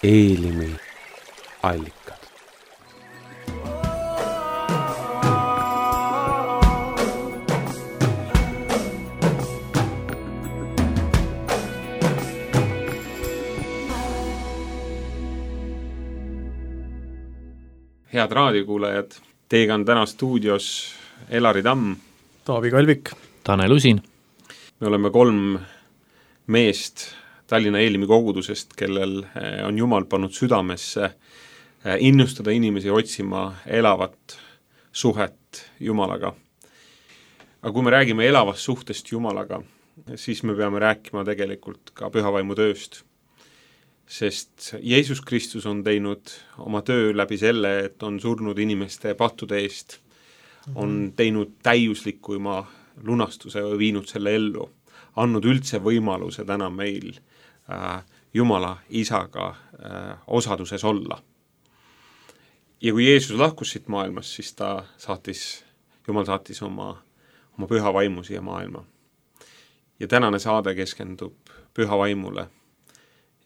Eelimi allikad. Head raadiokuulajad, teiega on täna stuudios Elari Tamm, Taavi Kalvik, Tanel Usin. Me oleme 3 meest Tallinna Eelimi kogudusest, kellel on Jumal pannud südamesse innustada inimesi otsima elavat suhet Jumalaga. Aga kui me räägime elavast suhtest Jumalaga, siis me peame rääkima tegelikult ka pühavaimu tööst. Sest Jeesus Kristus on teinud oma töö läbi selle, et on surnud inimeste pattude eest, on teinud täiuslikuma lunastuse või viinud selle ellu, andnud üldse võimaluse täna meil Jumala isaga osaduses olla. Ja kui Jeesus lahkus siit maailmas, siis Jumal saatis oma püha vaimu siia maailma. Ja tänane saade keskendub püha vaimule.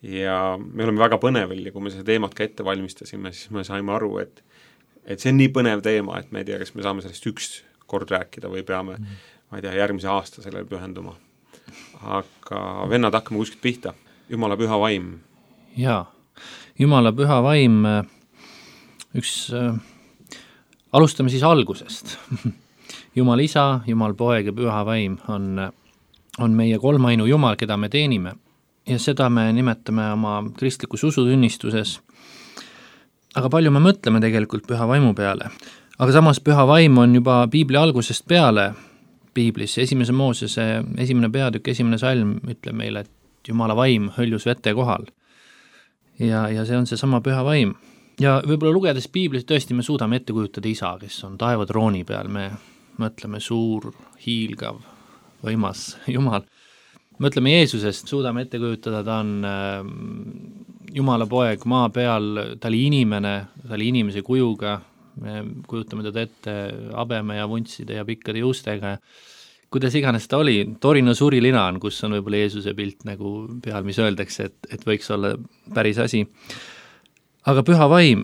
Ja me oleme väga põnevel ja kui me seda teemat ka ette valmistasime, siis me saime aru, et see on nii põnev teema, et me ei tea, kas me saame sellest üks kord rääkida või peame, ma ei tea, järgmise aasta sellele pühenduma. Aga vennad, hakkame kuskilt pihta. Jumala püha vaim. Jaa, Jumala püha vaim, alustame siis algusest. Jumal isa, Jumal poeg ja püha vaim on meie kolmainu Jumal, keda me teenime. Ja seda me nimetame oma kristlikus usutunnistuses. Aga palju me mõtleme tegelikult püha vaimu peale. Aga samas püha vaim on juba Piibli algusest peale Piiblis. 1. Moosese 1. peatükk, 1. salm ütleb meile, et Jumala vaim hõljus vete kohal. Ja see on see sama püha vaim. Ja võib-olla lugedes Piiblis tõesti me suudame ette kujutada isa, kes on taevatrooni peal. Me mõtleme suur, hiilgav, võimas Jumal. Mõtleme Jeesusest, suudame ette kujutada, ta on Jumala poeg maa peal, ta oli inimene, ta oli inimese kujuga, me kujutame teda ette habeme ja vuntside ja pikkade juustega. Kuidas iganes ta oli, Torino surilina on, kus on võib-olla Jeesuse pilt nagu peal, mis öeldakse, et võiks olla päris asi. Aga püha vaim,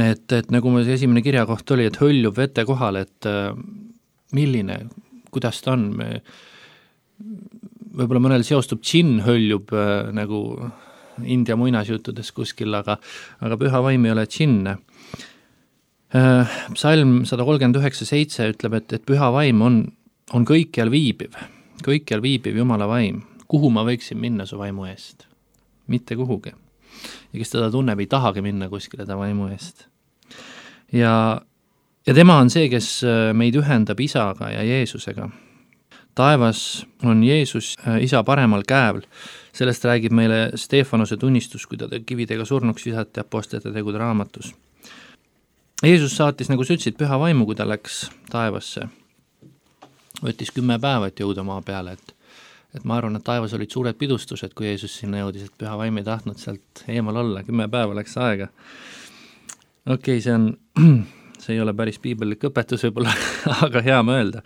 et nagu meil see esimene kirjakoht oli, et hõljub vete kohal, et milline, kuidas ta on, võib-olla mõnel seostub džinn hõljub nagu India muinasjuttudes kuskil, aga püha vaim ei ole džinn. Psalm 139:7 ütleb, et püha vaim on kõikjal viibiv Jumala vaim. Kuhu ma võiksin minna su vaimu eest? Mitte kuhugi. Ja kes teda tunneb, ei tahagi minna kuskile ta vaimu eest. Ja tema on see, kes meid ühendab isaga ja Jeesusega. Taevas on Jeesus isa paremal käeval. Sellest räägib meile Stefanose tunnistus, kui ta kividega surnuks visati apostlite tegude raamatus. Jeesus saatis, nagu sa ütlesid, püha vaimu, kui ta läks taevasse. Võttis 10 päeva, et jõuda maa peale. Et ma arvan, et taevas olid suured pidustused, kui Jeesus sinna jõudis, et püha vaim ei tahtnud sealt eemal olla. 10 päeva läks aega. Okei, see ei ole päris piibellik õpetus võib-olla, aga hea mõelda.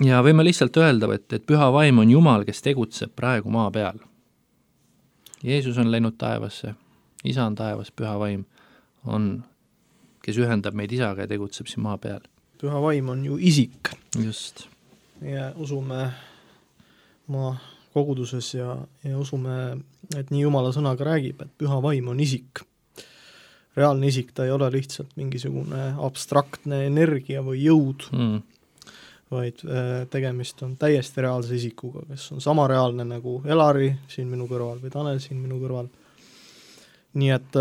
Ja võime lihtsalt öelda, et püha vaim on Jumal, kes tegutseb praegu maa peal. Jeesus on läinud taevasse, isa on taevas, püha vaim on, kes ühendab meid isaga ja tegutseb siin maa peal. Püha vaim on ju isik. Just. Ja usume maa koguduses ja usume, et nii Jumala sõnaga räägib, et püha vaim on isik. Reaalne isik, ta ei ole lihtsalt mingisugune abstraktne energia või jõud. Vaid tegemist on täiesti reaalse isikuga, kes on sama reaalne nagu Elari siin minu kõrval või Tanel siin minu kõrval. Nii et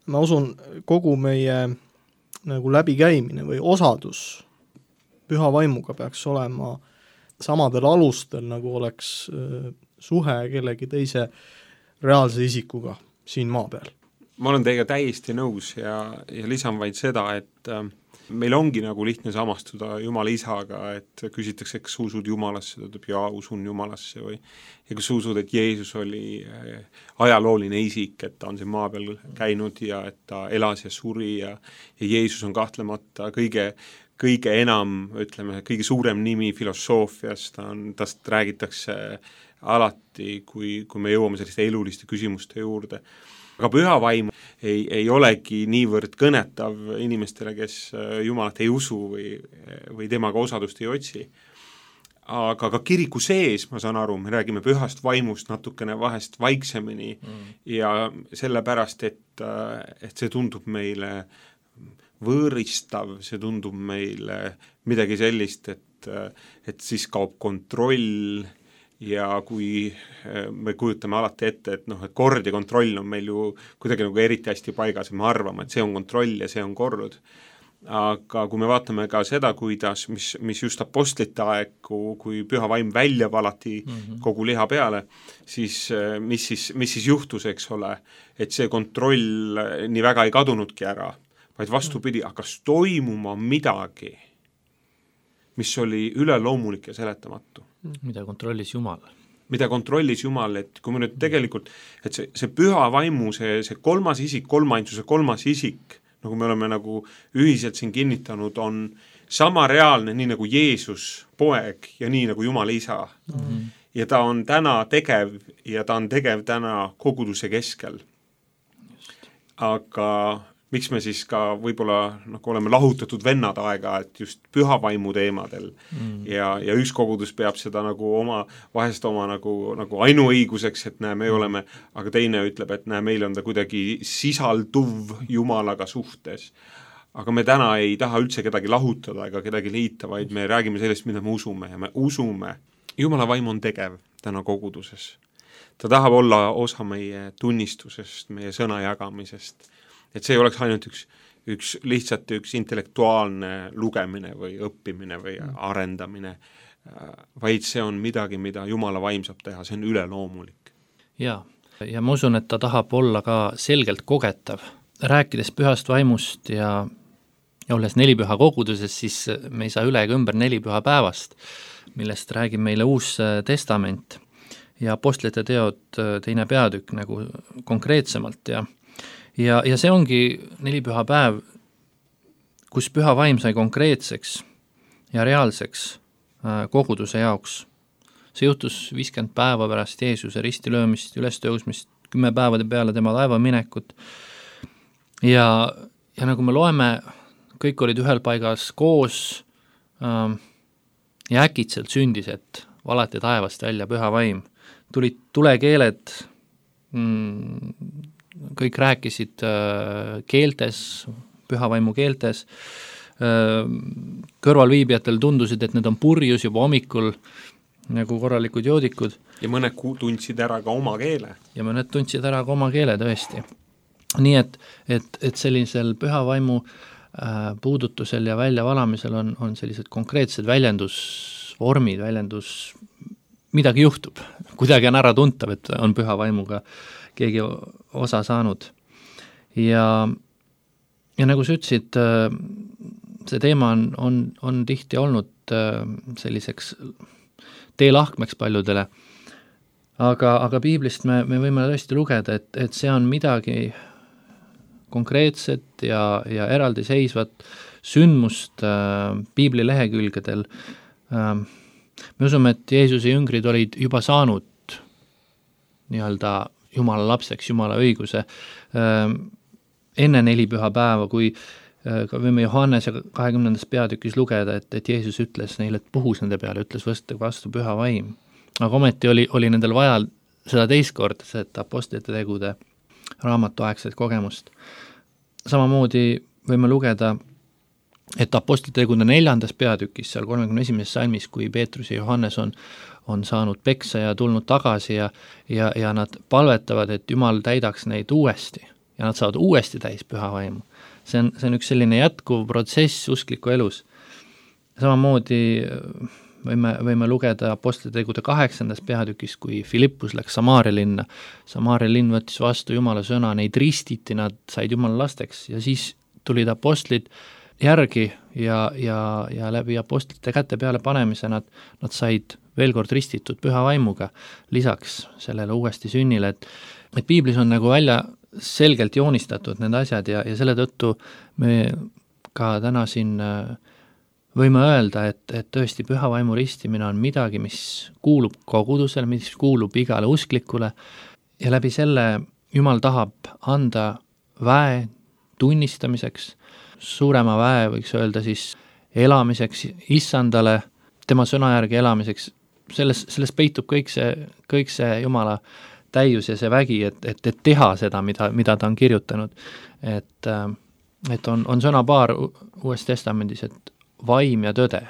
ma usun, kogu meie nagu läbikäimine või osadus püha vaimuga peaks olema samadel alustel, nagu oleks suhe kellegi teise reaalse isikuga siin maa peal. Ma olen teiega täiesti nõus ja lisan vaid seda, et meil ongi nagu lihtne samastuda Jumala isaga, et küsitakse, kas usud Jumalasse, ta ütleb, jaa, usun Jumalasse ja kas usud, et Jeesus oli ajalooline isik, et ta on siin maa peal käinud ja et ta elas ja suri ja Jeesus on kahtlemata kõige enam, ütleme, kõige suurem nimi filosoofias, tast räägitakse alati, kui me jõuame selliste eluliste küsimuste juurde. Aga püha vaim ei olegi niivõrd kõnetav inimestele, kes Jumalat ei usu või temaga osadust ei otsi. Aga ka kiriku sees, ma saan aru, me räägime pühast vaimust natukene vahest vaiksemini ja sellepärast, et see tundub meile võõristav, see tundub meile midagi sellist, et siis kaob kontroll ja kui me kujutame alati ette, et kord ja kontroll on meil ju kuidagi nagu eriti hästi paigas ja me arvame, et see on kontroll ja see on kord. Aga kui me vaatame ka seda, kuidas, mis just apostlite aegu, kui püha vaim välja valati kogu liha peale, siis mis siis juhtus, eks ole, et see kontroll nii väga ei kadunudki ära, vaid vastupidi, hakkas toimuma midagi, mis oli üleloomulik ja seletamatu. Mida kontrollis Jumal? Mida kontrollis Jumal, et kui me nüüd tegelikult, et see püha vaimu, see kolmas isik, kolmainsuse kolmas isik, nagu me oleme nagu ühiselt siin kinnitanud, on sama reaalne, nii nagu Jeesus poeg ja nii nagu Jumal isa. Ja ta on täna tegev ja ta on tegev täna koguduse keskel. Aga miks me siis ka võib-olla nagu oleme lahutatud vennad aega, et just püha vaimu teemadel ja üks kogudus peab seda nagu vahest oma nagu ainuõiguseks, et me oleme, aga teine ütleb, et meil on ta kuidagi sisalduv Jumalaga suhtes. Aga me täna ei taha üldse kedagi lahutada ega kedagi liita, vaid me räägime sellest, mida me usume ja me usume. Jumala vaim on tegev täna koguduses. Ta tahab olla osa meie tunnistusest, meie sõna jagamisest. Et see ei oleks ainult lihtsalt üks intellektuaalne lugemine või õppimine või arendamine, vaid see on midagi, mida Jumala vaim saab teha, see on üleloomulik. Ja ma usun, et ta tahab olla ka selgelt kogetav. Rääkides pühast vaimust ja olles nelipüha koguduses, siis me ei saa üle ega ümber nelipüha päevast, millest räägib meile Uus Testament ja apostlite teod 2. peatükk nagu konkreetsemalt ja see ongi nelipüha päev, kus püha vaim sai konkreetseks ja reaalseks koguduse jaoks. See juhtus 50 päeva pärast Jeesuse ristilöömist, ülestõusmist, 10 päevade peale tema laeva minekut. Ja nagu me loeme, kõik olid ühel paigas koos ja äkitselt sündis, et valati taevast välja püha vaim. Tulid tulekeeled, kõik rääkisid keeltes, pühavaimu keeltes, kõrvalviibijatel tundusid, et need on purjus juba hommikul nagu korralikud joodikud. Ja mõned tundsid ära ka oma keele. Ja mõned tundsid ära ka oma keele tõesti. Nii et sellisel pühavaimu puudutusel ja väljavalamisel on sellised konkreetsed väljendusvormid, midagi juhtub, kuidagi on ära tuntav, et on püha vaimuga keegi osa saanud. Ja nagu sa ütlesid, see teema on tihti olnud selliseks teelahkmeks paljudele, aga piiblist me võime tõesti lugeda, et see on midagi konkreetset ja eraldiseisvat sündmust piibli lehekülgedel. Me usume, et Jeesuse jüngrid olid juba saanud nii-öelda Jumala lapseks, Jumala õiguse enne nelipüha päeva, kui ka võime Johannese 20. peatükis lugeda, et Jeesus ütles neile, et puhus nende peale, ütles vastu püha vaim. Aga ometi oli nendel vaja seda teistkord, seda apostlite tegude raamatuaegset kogemust. Samamoodi võime lugeda, et apostlite tegude 4. peatükis, seal 31. salmis, kui Peetrus ja Johannes on saanud peksa ja tulnud tagasi ja nad palvetavad, et Jumal täidaks neid uuesti ja nad saavad uuesti täis püha vaimu. See on üks selline jätkuv protsess uskliku elus. Samamoodi võime lugeda apostlite tegude 8. peatükis, kui Filippus läks Samaaria linna. Samaaria linn võttis vastu Jumala sõna, neid ristiti, nad said Jumala lasteks ja siis tulid apostlid järgi ja läbi apostlite käte peale panemise nad said veel kord ristitud püha vaimuga lisaks sellele uuesti sünnile, et piiblis on nagu välja selgelt joonistatud need asjad ja selle tõttu me ka täna siin võime öelda, et tõesti püha vaimu ristimine on midagi, mis kuulub kogudusele, mis kuulub igale usklikule ja läbi selle Jumal tahab anda väe tunnistamiseks, suurema väe võiks öelda siis elamiseks issandale, tema sõna järgi elamiseks, selles peitub kõik see Jumala täius ja see vägi, et teha seda, mida ta on kirjutanud. Et on sõnapaar Uues Testamendis, et vaim ja tõde.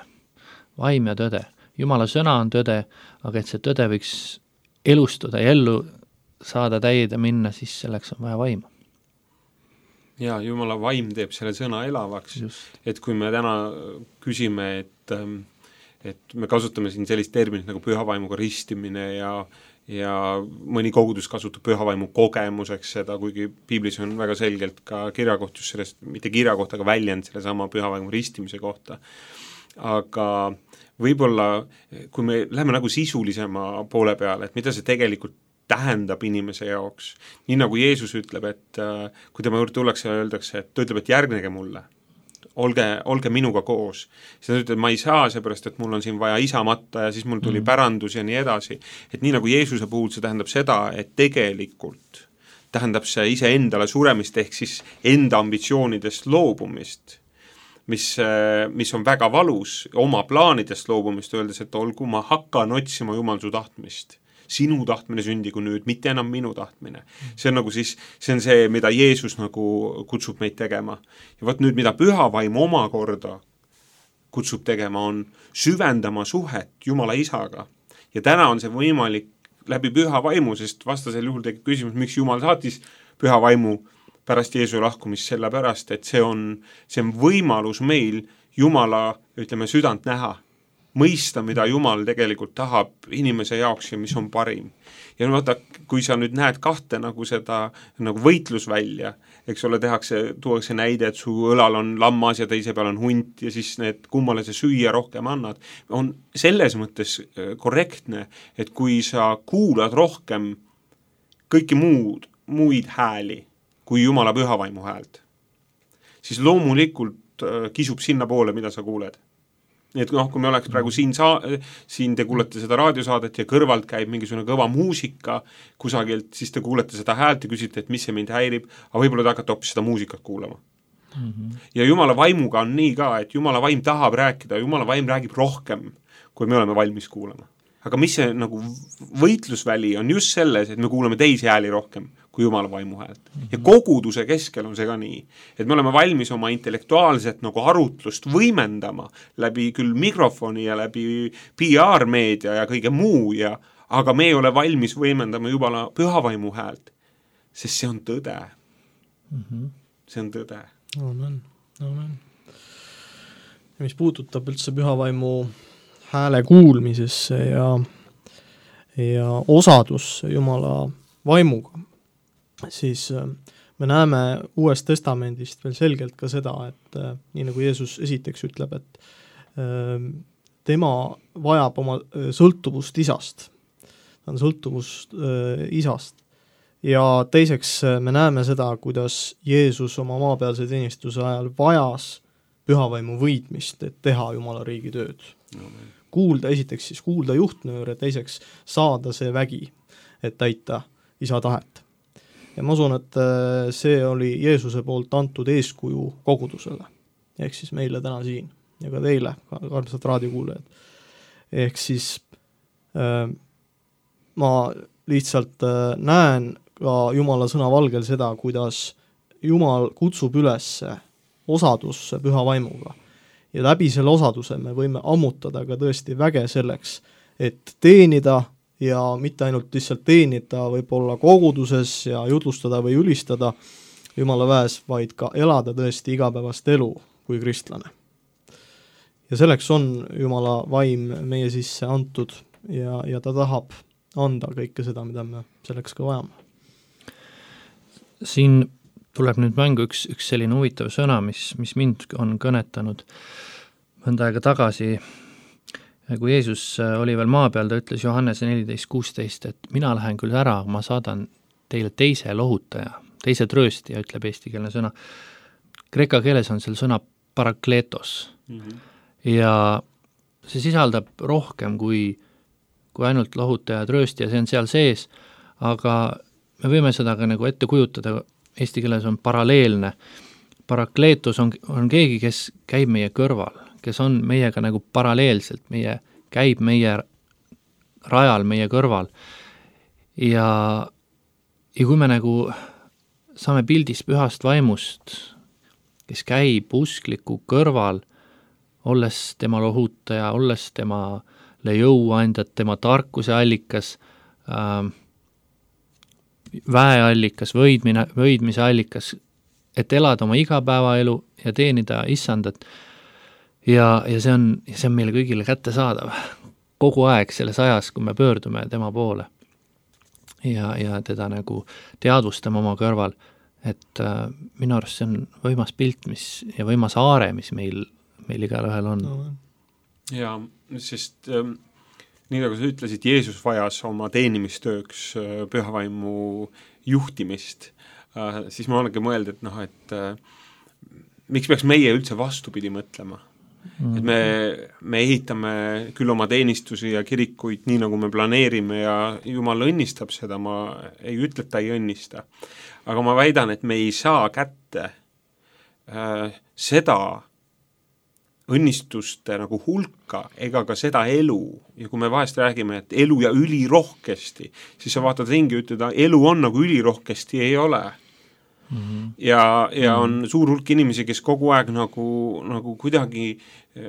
Vaim ja tõde. Jumala sõna on tõde, aga et see tõde võiks elustuda ja ellu saada täide minna, siis selleks on vaja vaimu. Ja Jumala vaim teeb selle sõna elavaks. Just. Et kui me täna küsime, et me kasutame siin sellist terminit nagu pühavaimuga ristimine ja mõni kogudus kasutab pühavaimu kogemuseks seda, kuigi piiblis on väga selgelt ka kirjakoht just sellest, mitte kirjakoht, aga väljend selle sama pühavaimu ristimise kohta. Aga võib-olla, kui me läheme nagu sisulisema poole peale, et mida see tegelikult tähendab inimese jaoks, nii nagu Jeesus ütleb, et kui tema juurde tullakse ja öeldakse, et ta ütleb, et järgnege mulle, olge minuga koos. Siis ta ütleb, et ma ei saa, seepärast, et mul on siin vaja isa matta ja siis mul tuli pärandus ja nii edasi. Et nii nagu Jeesuse puhul see tähendab seda, et tegelikult tähendab see ise endale suremist ehk siis enda ambitsioonidest loobumist, mis on väga valus, oma plaanidest loobumist, öeldes, et olgu ma hakkan otsima Jumal su tahtmist. Sinu tahtmine sündigu nüüd, mitte enam minu tahtmine. See on nagu siis, see on see, mida Jeesus nagu kutsub meid tegema. Ja võt nüüd, mida püha vaim omakorda kutsub tegema, on süvendama suhet Jumala isaga. Ja täna on see võimalik läbi püha vaimu, sest vastasel juhul tekib küsimus, miks Jumal saatis püha vaimu pärast Jeesu lahkumist, sellepärast, et see on võimalus meil Jumala, ütleme, südant näha. Mõista, mida Jumal tegelikult tahab inimese jaoks ja mis on parim. Ja vaata, kui sa nüüd näed kahte nagu seda nagu võitlusvälja, eks ole, tuuakse näide, et su õlal on lammas ja teise peal on hunt ja siis need kummale sa süüa rohkem annad, on selles mõttes korrektne, et kui sa kuulad rohkem kõiki muid hääli kui Jumala pühavaimu häält, siis loomulikult kisub sinna poole, mida sa kuuled. Nii et kui me oleks praegu siin te kuulete seda raadiosaadet ja kõrvalt käib mingisugune kõva muusika kusagilt, siis te kuulete seda häält ja küsite, et mis see mind häirib, aga võib-olla te hakkate hoopis seda muusikat kuulama. Ja Jumala vaimuga on nii ka, et Jumala vaim tahab rääkida, Jumala vaim räägib rohkem, kui me oleme valmis kuulama. Aga mis see nagu võitlusväli on just selles, et me kuulame teisi hääli rohkem kui Jumala vaimu häält. Ja koguduse keskel on see ka nii, et me oleme valmis oma intellektuaalset nagu arutlust võimendama läbi küll mikrofoni ja läbi PR-meedia ja kõige muu, aga me ei ole valmis võimendama Jumala pühavaimu häält, sest see on tõde. See on tõde. Amen. Mis puudutab üldse pühavaimu hääle kuulmisesse ja osadusse Jumala vaimuga, siis me näeme Uuest Testamendist veel selgelt ka seda, et nii nagu Jeesus esiteks ütleb, et tema vajab oma sõltuvust isast. Ta on sõltuvust isast. Ja teiseks me näeme seda, kuidas Jeesus oma maapealse teenistuse ajal vajas pühavaimu võitmist, et teha Jumala riigi tööd. Esiteks siis kuulda juhtnööre, teiseks saada see vägi, et täita isa tahet. Ja ma usun, et see oli Jeesuse poolt antud eeskuju kogudusele, ehk siis meile täna siin ja ka teile, armsad raadiokuulajad. Ehk siis ma lihtsalt näen ka Jumala sõna valgel seda, kuidas Jumal kutsub üles osadusse püha vaimuga. Ja läbi selle osaduse me võime ammutada ka tõesti väge selleks, et teenida ja mitte ainult lihtsalt teenida võib-olla koguduses ja jutlustada või ülistada Jumala väes, vaid ka elada tõesti igapäevast elu kui kristlane. Ja selleks on Jumala vaim meie sisse antud ja ta tahab anda kõike seda, mida me selleks ka vajame. Siin tuleb nüüd mängu üks selline huvitav sõna, mis mind on kõnetanud mõnda aega tagasi, kui Jeesus oli veel maa peal, ta ütles Johannese 14:16, et mina lähen küll ära, ma saadan teile teise lohutaja, teise trööstija, ütleb eestikeelne sõna. Kreeka keeles on seal sõna parakletos. ja see sisaldab rohkem kui ainult lohuta ja tröösti ja see on seal sees, aga me võime seda ka nagu ette kujutada, eesti keeles on paralleelne. Parakleetus on keegi, kes käib meie kõrval, kes on meiega nagu paralleelselt, käib meie rajal, meie kõrval. Ja kui me nagu saame pildis pühast vaimust, kes käib uskliku kõrval, olles tema lohutaja, olles temale jõuandjad, tema tarkuse allikas, väeallikas, võidmise allikas, et elada oma igapäevaelu ja teenida issandat. Ja see on meile kõigile kättesaadav kogu aeg selles ajas, kui me pöördume tema poole ja teda nagu teadvustame oma kõrval, et minu arust see on võimas pilt ja võimas aare, mis meil igal ühel on. Ja, sest nii nagu sa ütlesid, Jeesus vajas oma teenimistööks pühavaimu juhtimist, siis ma olengi mõelda, et miks peaks meie üldse vastupidi mõtlema? Et me ehitame küll oma teenistusi ja kirikuid nii, nagu me planeerime ja Jumal õnnistab seda, ma ei ütle, et ta ei õnnista. Aga ma väidan, et me ei saa kätte seda õnnistuste nagu hulka ega ka seda elu. Ja kui me vahest räägime, et elu ja ülirohkesti, siis sa vaatad ringi ja ütled, elu on nagu ülirohkesti ei ole. Ja on suur hulk inimesi, kes kogu aeg nagu kuidagi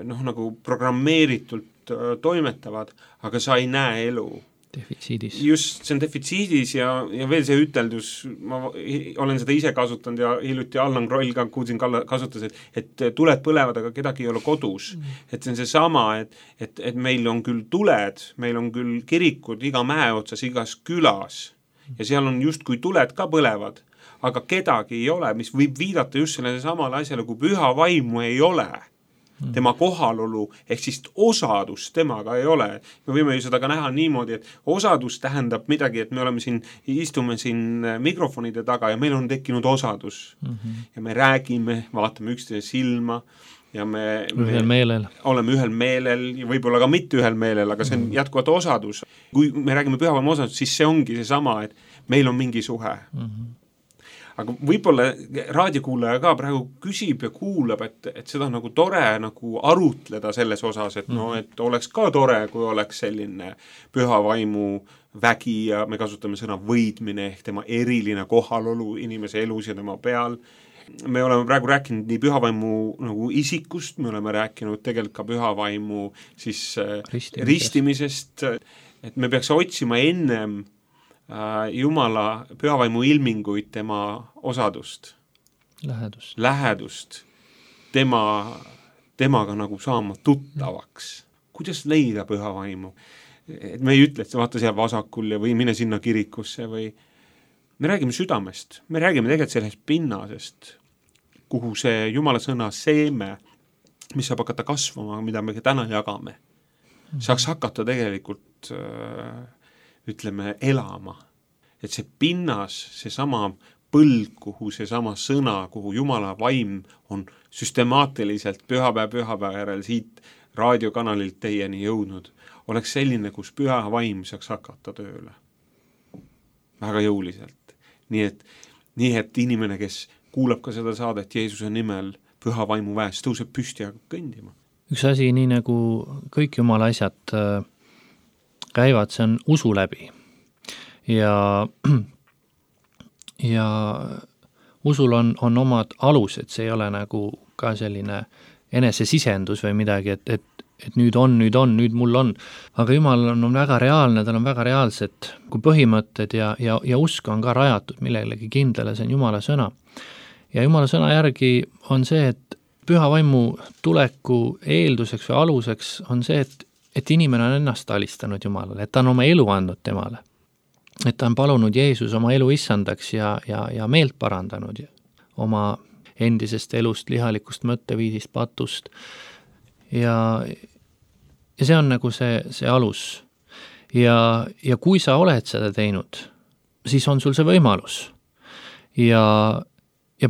nagu programmeeritult toimetavad, aga sa ei näe elu. Defitsiidis. Just, see on defitsiidis ja veel see üteldus, ma olen seda ise kasutanud ja hiljuti Allan Kroll ka kuulsin kasutas, et tuled põlevad, aga kedagi ei ole kodus. Et see on see sama, et meil on küll tuled, meil on küll kirikud iga mäe otsas, igas külas ja seal on just kui tuled ka põlevad, aga kedagi ei ole, mis võib viidata just sellele samale asjale, kui püha vaimu ei ole. Tema kohalolu, ehk siis osadus temaga ei ole. Me võime ju seda ka näha niimoodi, et osadus tähendab midagi, et me istume siin mikrofonide taga ja meil on tekkinud osadus. Ja me räägime, vaatame üksteise silma ja me oleme ühel meelel ja võib-olla ka mitte ühel meelel, aga see on jätkuvalt osadus. Kui me räägime pühavaimu osadus, siis see ongi see sama, et meil on mingi suhe. Aga võib-olla raadiokuulaja ka praegu küsib ja kuulab, et seda nagu tore nagu arutleda selles osas, et et oleks ka tore, kui oleks selline püha vaimu vägi ja me kasutame sõna võidmine ehk tema eriline kohalolu inimese elus ja tema peal. Me oleme praegu rääkinud nii püha vaimu nagu isikust, me oleme rääkinud tegelikult ka püha vaimu siis ristimisest, et me peaks otsima ennem Jumala pühavaimu ilminguid tema osadust. Lähedust. Temaga nagu saama tuttavaks. Kuidas leida pühavaimu? Et me ei ütle, et vaata seal vasakul või mine sinna kirikusse või me räägime südamest. Me räägime tegelikult sellest pinnasest, kuhu see Jumala sõna seeme, mis saab hakata kasvama, mida me täna jagame. Saaks hakata tegelikult ütleme, elama. Et see pinnas, see sama põld, kuhu see sama sõna, kuhu Jumala vaim on süstemaatiliselt pühapäeva järel siit raadiokanalilt teieni jõudnud, oleks selline, kus püha vaim saaks hakata tööle. Väga jõuliselt. Nii et inimene, kes kuulab ka seda saadet Jeesuse nimel püha vaimu väest, tõuseb püsti ja kõndima. Üks asi, nii nagu kõik Jumala asjad käivad, see on usu läbi ja usul on omad alused, see ei ole nagu ka selline enesesisendus või midagi, et nüüd mul on, aga Jumal on väga reaalne, tal on väga reaalsed kui põhimõtted ja usk on ka rajatud millelegi kindlale, see on Jumala sõna ja Jumala sõna järgi on see, et püha vaimu tuleku eelduseks või aluseks on see, et inimene on ennast alistanud Jumalale, et ta on oma elu andnud temale. Et ta on palunud Jeesus oma elu issandaks ja meelt parandanud oma endisest elust, lihalikust mõtteviisist, patust. Ja see on nagu see alus. Ja kui sa oled seda teinud, siis on sul see võimalus. Ja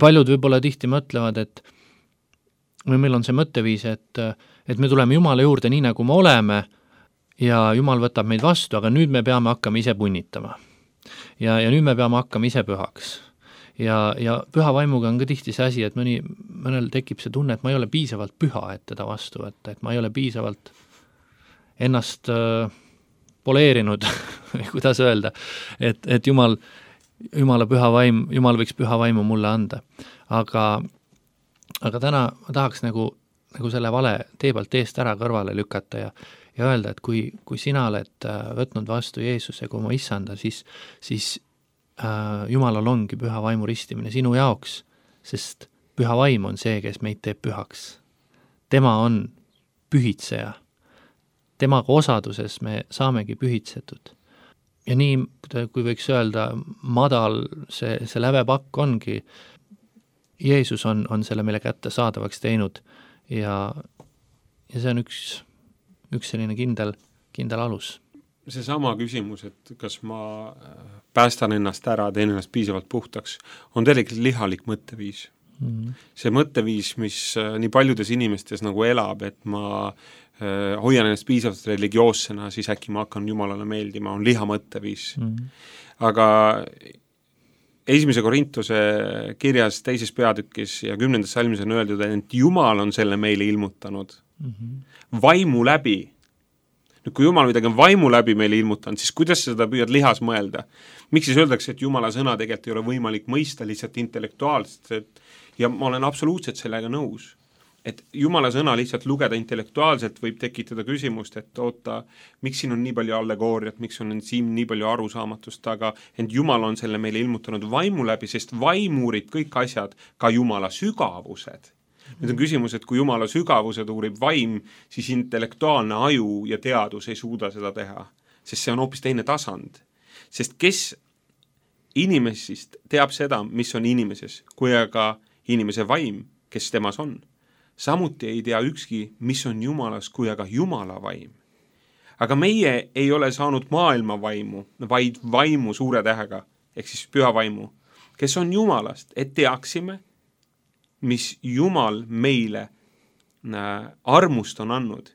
paljud võib-olla tihti mõtlevad, või meil on see mõtteviis, et me tuleme Jumala juurde nii, nagu me oleme ja Jumal võtab meid vastu, aga nüüd me peame hakkama ise punnitama. Ja nüüd me peame hakkama ise pühaks. Ja püha vaimuga on ka tihti see asi, et mõnel tekib see tunne, et ma ei ole piisavalt püha, et teda vastu võtta, et ma ei ole piisavalt ennast poleerinud, kuidas öelda, et Jumala püha vaim, Jumal võiks püha vaimu mulle anda. Aga täna ma tahaks nagu selle vale tee pealt eest ära kõrvale lükata ja öelda, et kui sina oled võtnud vastu Jeesuse kui oma issanda, siis Jumalal ongi püha vaimu ristimine sinu jaoks, sest püha vaim on see, kes meid teeb pühaks. Tema on pühitseja. Temaga osaduses me saamegi pühitsetud. Ja nii, kui võiks öelda, madal see lävepakk ongi, Jeesus on selle meile kätte saadavaks teinud ja see on üks selline kindel alus. See sama küsimus, et kas ma päästan ennast ära, teen ennast piisavalt puhtaks, on tegelikult lihalik mõtteviis. See mõtteviis, mis nii paljudes inimestes nagu elab, et ma hoian ennast piisavalt religioossena, siis äkki ma hakkan Jumalale meeldima, on liha mõtteviis. Aga 1. Korintuse kirjas 2. peatükis ja 10. salmis on öeldud, et Jumal on selle meile ilmutanud. Vaimu läbi. Nüüd, kui Jumal midagi on vaimu läbi meile ilmutanud, siis kuidas seda püüad lihas mõelda? Miks siis öeldakse, et Jumala sõna tegelikult ei ole võimalik mõista lihtsalt intellektuaalselt ja ma olen absoluutselt sellega nõus. Et Jumala sõna lihtsalt lugeda intellektuaalselt võib tekitada küsimust, et oota, miks siin on nii palju allegooriat, miks on siin nii palju arusaamatust, aga ent Jumal on selle meile ilmutanud vaimu läbi, sest vaim uurib kõik asjad, ka Jumala sügavused. Nüüd on küsimus, et kui Jumala sügavused uurib vaim, siis intellektuaalne aju ja teadus ei suuda seda teha, sest see on hoopis teine tasand. Sest kes inimesest teab seda, mis on inimeses, kui aga inimese vaim, kes temas on. Samuti ei tea ükski, mis on Jumalas, kui aga Jumala vaim. Aga meie ei ole saanud maailma vaimu, vaid vaimu suure tähega, ehk siis püha vaimu, kes on Jumalast, et teaksime, mis Jumal meile armust on andnud.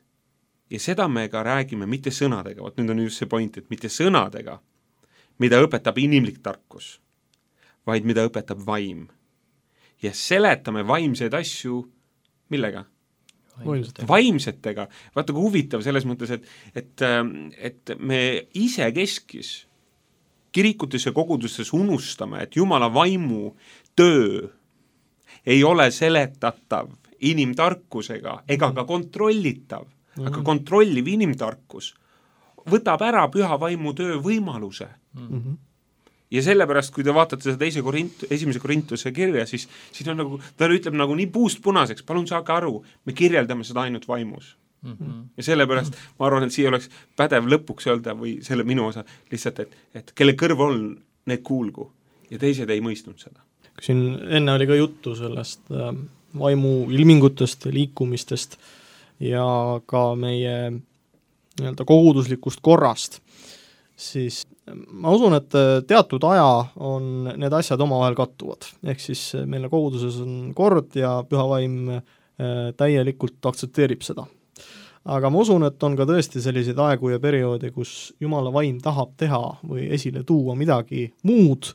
Ja seda me ka räägime mitte sõnadega, nüüd on just see point, et mitte sõnadega, mida õpetab inimlik tarkus, vaid mida õpetab vaim. Ja seletame vaimseid asju millega? Vaimsetega. Vaata, kui huvitav selles mõttes, et me ise keskis kirikutes ja kogudustes unustame, et Jumala vaimu töö ei ole seletatav inimtarkusega ega ka kontrollitav, aga kontrolliv inimtarkus võtab ära püha vaimu töö võimaluse. Ja sellepärast, kui te vaatate seda 1. Korintuse kirja, siis on nagu, ta ütleb nagu nii puust punaseks, palun saage aru, me kirjeldame seda ainult vaimus. Ja sellepärast ma arvan, et siia oleks pädev lõpuks öelda või selle minu osa lihtsalt, et kelle kõrv on, need kuulgu ja teised ei mõistnud seda. Siin enne oli ka juttu sellest vaimu ilmingutest, liikumistest ja ka meie nii-öelda koguduslikust korrast, siis ma usun, et teatud aja on need asjad omavahel kattuvad. Ehk siis meile koguduses on kord ja püha vaim täielikult aktsepteerib seda. Aga ma usun, et on ka tõesti selliseid aegu ja perioode, kus Jumala vaim tahab teha või esile tuua midagi muud,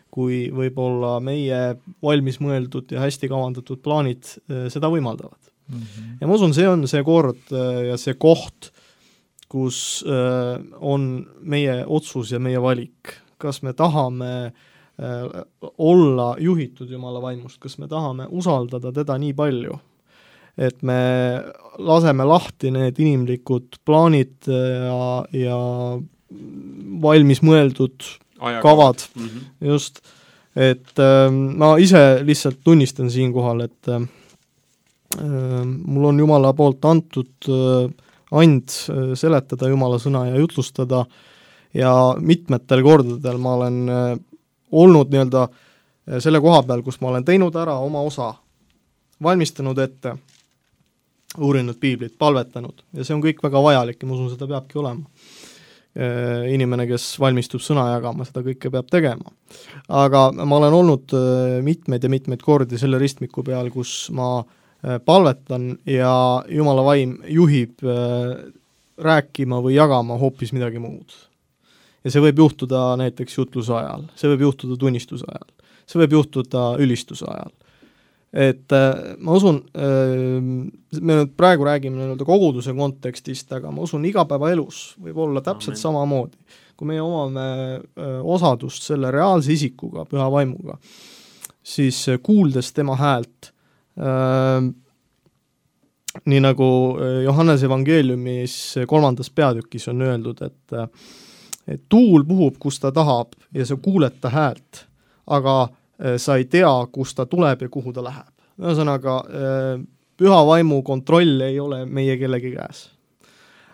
kui võib-olla meie valmis mõeldud ja hästi kavandatud plaanid seda võimaldavad. Ja ma usun, see on see kord ja see koht, kus on meie otsus ja meie valik. Kas me tahame olla juhitud Jumala vaimust, kas me tahame usaldada teda nii palju, et me laseme lahti need inimlikud plaanid ja valmis mõeldud kavad, just, et ma ise lihtsalt tunnistan siinkohal, et mul on Jumala poolt antud and seletada Jumala sõna ja jutlustada ja mitmetel kordadel ma olen olnud nii-öelda selle koha peal, kus ma olen teinud ära oma osa, valmistanud ette, uurinud piiblit, palvetanud ja see on kõik väga vajalik ja ma usun, seda peabki olema. Inimene, kes valmistub sõna jagama, seda kõike peab tegema. Aga ma olen olnud mitmeid kordi selle ristmiku peal, kus ma palvetan ja Jumala vaim juhib rääkima või jagama hoopis midagi muud. Ja see võib juhtuda näiteks jutluse ajal, see võib juhtuda tunnistuse ajal, see võib juhtuda ülistuse ajal. Et ma usun, me nüüd praegu räägime koguduse kontekstist, aga ma usun, igapäevaelus võib olla täpselt samamoodi. Kui meie omame osadust selle reaalse isikuga, püha vaimuga, siis kuuldes tema häält, nii nagu Johannese evangeeliumis 3. peatükis on öeldud, et tuul puhub, kus ta tahab ja sa kuuled ta häält, aga sa ei tea, kus ta tuleb ja kuhu ta läheb. Ühesõnaga, püha vaimu kontroll ei ole meie kellegi käes.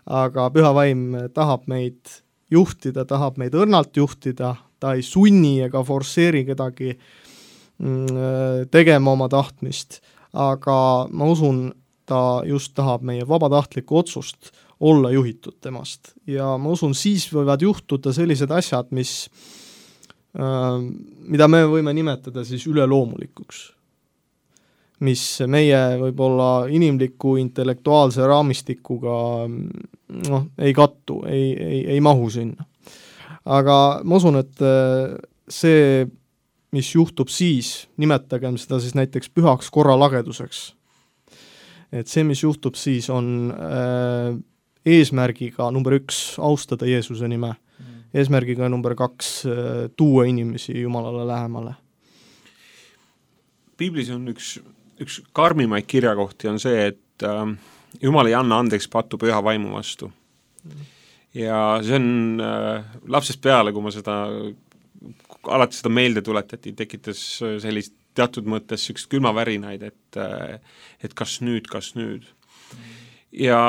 Aga püha vaim tahab meid juhtida, tahab meid õrnalt juhtida, ta ei sunni ega forsseeri kedagi tegema oma tahtmist, aga ma usun, ta just tahab meie vabatahtlikku otsust olla juhitud temast. Ja ma usun, siis võivad juhtuda sellised asjad, mida me võime nimetada siis üleloomulikuks, mis meie võib-olla inimliku intellektuaalse raamistikuga ei kattu, ei mahu sinna. Aga ma usun, et see, mis juhtub siis, nimetagem seda siis näiteks pühaks korralageduseks, et see, mis juhtub siis, on eesmärgiga number 1 austada Jeesuse nime, eesmärgiga number 2 tuua inimesi Jumalale lähemale. Piiblis on üks karmimaid kirjakohti on see, et Jumal ei anna andeks pattu püha vaimu vastu. Ja see on lapsest peale, kui ma alati seda meelde tuletati, tekitas sellist teatud mõttes üks külmavärinaid, et kas nüüd. Ja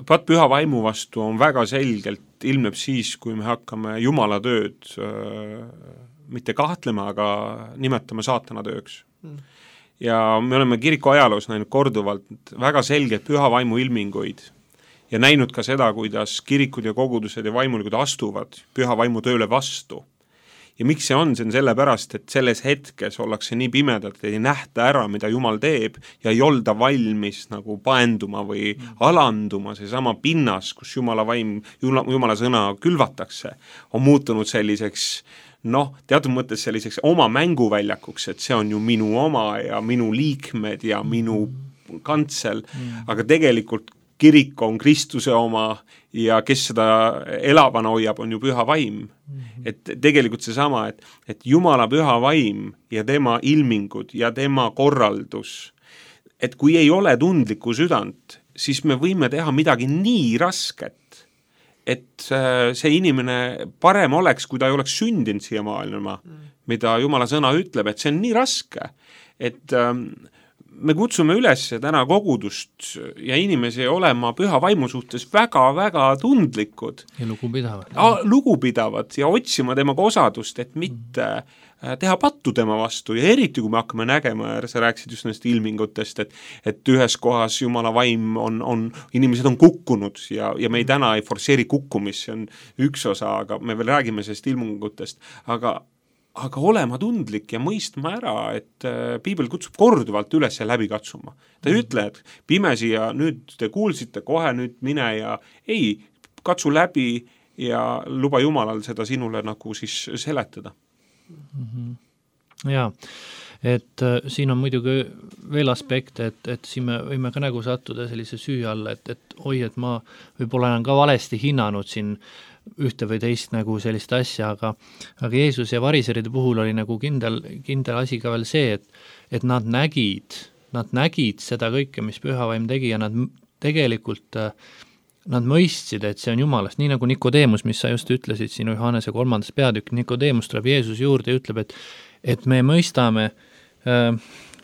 patt püha vaimu vastu on väga selgelt, ilmneb siis, kui me hakkame Jumala tööd mitte kahtlema, aga nimetame saatana tööks. Ja me oleme kiriku ajaloos näinud korduvalt väga selgelt püha vaimu ilminguid ja näinud ka seda, kuidas kirikud ja kogudused ja vaimulikud astuvad püha vaimu tööle vastu. Ja miks see on sellepärast, et selles hetkes ollakse nii pimedalt, et ei nähta ära, mida Jumal teeb ja ei olda valmis nagu paenduma või alanduma. See sama pinnas, kus Jumala vaim, Jumala sõna külvatakse, on muutunud selliseks, teatud mõttes selliseks oma mänguväljakuks, et see on ju minu oma ja minu liikmed ja minu kantsel, aga tegelikult kirik on Kristuse oma ja kes seda elavana hoiab, on ju püha vaim. Et tegelikult see sama, et Jumala püha vaim ja tema ilmingud ja tema korraldus, et kui ei ole tundlikku südant, siis me võime teha midagi nii rasket, et see inimene parem oleks, kui ta ei oleks sündinud siia maailma, mida Jumala sõna ütleb, et see on nii raske, et me kutsume üles täna kogudust ja inimesi olema püha vaimu suhtes väga-väga tundlikud. Ja lugupidavad. Lugupidavad ja otsima temaga osadust, et mitte teha pattu tema vastu ja eriti, kui me hakkame nägema, sa rääkisid just nendest ilmingutest, et ühes kohas Jumala vaim inimesed on kukkunud ja me täna ei forsseeri kukkumist, see on üks osa, aga me veel räägime sellest ilmingutest, aga olema tundlik ja mõistma ära, et Piibel kutsub korduvalt üles ja läbi katsuma. Ta ei ütle, et pimesi ja nüüd te kuulsite kohe, nüüd mine ja ei, katsu läbi ja luba Jumalal seda sinule nagu siis seletada. Jaa, et siin on muidugi veel aspekt, et siin me võime ka nagu sattuda sellise süü alla, et et ma võib-olla olen ka valesti hinnanud siin ühte või teist nagu sellist asja, aga Jeesus ja variseride puhul oli nagu kindel asi ka veel see, et nad nägid seda kõike, mis pühavaim tegi ja nad tegelikult nad mõistsid, et see on Jumalast, nii nagu Nikodeemus, mis sa just ütlesid siin Johannese 3. peatükk, Nikodeemus tuleb Jeesus juurde ja ütleb, et me mõistame,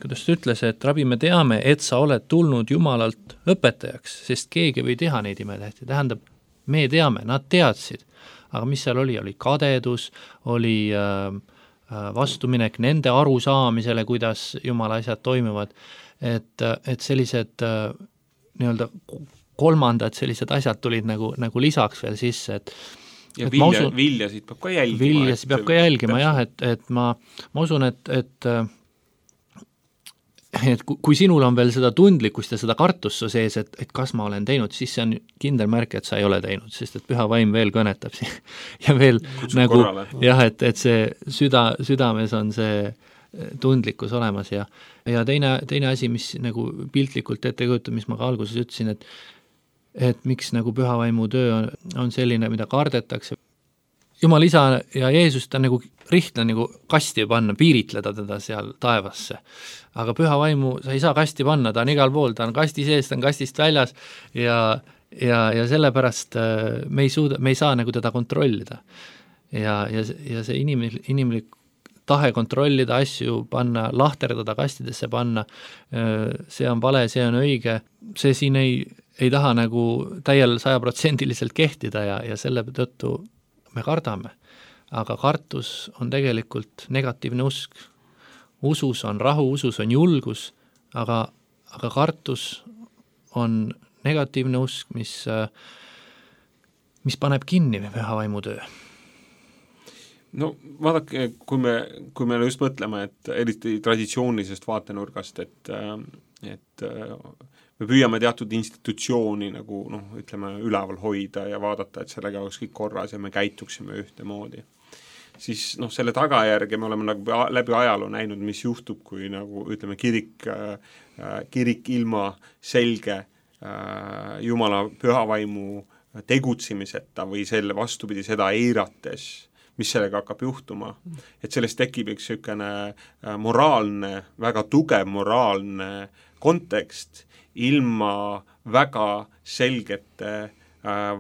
kuidas ta ütles, et rabi, me teame, et sa oled tulnud Jumalalt õpetajaks, sest keegi või teha neid imetähti, tähendab, me teame, nad teadsid, aga mis seal oli kadedus, oli vastuminek nende arusaamisele, kuidas Jumala asjad toimuvad, et sellised nii-öelda kolmandad sellised asjad tulid nagu lisaks veel sisse, ja viljasid peab ka jälgima. Viljasid peab ka jälgima, jah, et ma usun, et et kui sinul on veel seda tundlikkust ja seda kartust su sees, et kas ma olen teinud, siis see on kindel märk, et sa ei ole teinud, sest et püha vaim veel kõnetab ja veel kutsub nagu korrale. jah, et see südames on see tundlikkus olemas ja teine asi, mis nagu piltlikult ette kujutab, mis ma ka alguses ütlesin, et miks nagu püha vaimu töö on selline, mida kardetakse. Jumal isa ja Jeesus ta nagu rihtla nagu kasti panna, piiritleda teda seal taevasse. Aga püha vaimu sa ei saa kasti panna, ta on igal pool, ta on kasti sees, ta on kastist väljas ja sellepärast me ei saa nagu teda kontrollida. Ja see inimlik tahe kontrollida asju, panna, lahterdada kastidesse panna, see on vale, see on õige, see siin ei taha nagu täiel 100% kehtida ja selle tõttu me kardame, aga kartus on tegelikult negatiivne usk. Usus on rahu, usus on julgus, aga kartus on negatiivne usk, mis paneb kinni püha vaimu töö. No vaadake, kui me just mõtleme, et eriti traditsioonilisest vaatenurgast, et me püüame teatud institutsiooni nagu ütleme üleval hoida ja vaadata, et sellega oleks kõik korras ja me käituksime ühtemoodi. Siis selle tagajärge me oleme nagu läbi ajaloo näinud, mis juhtub, kui nagu ütleme kirik ilma selge Jumala pühavaimu tegutsemiseta või selle vastupidi seda eirates, mis sellega hakkab juhtuma. Et sellest tekib üks sükene moraalne, väga tugev moraalne kontekst ilma väga selgete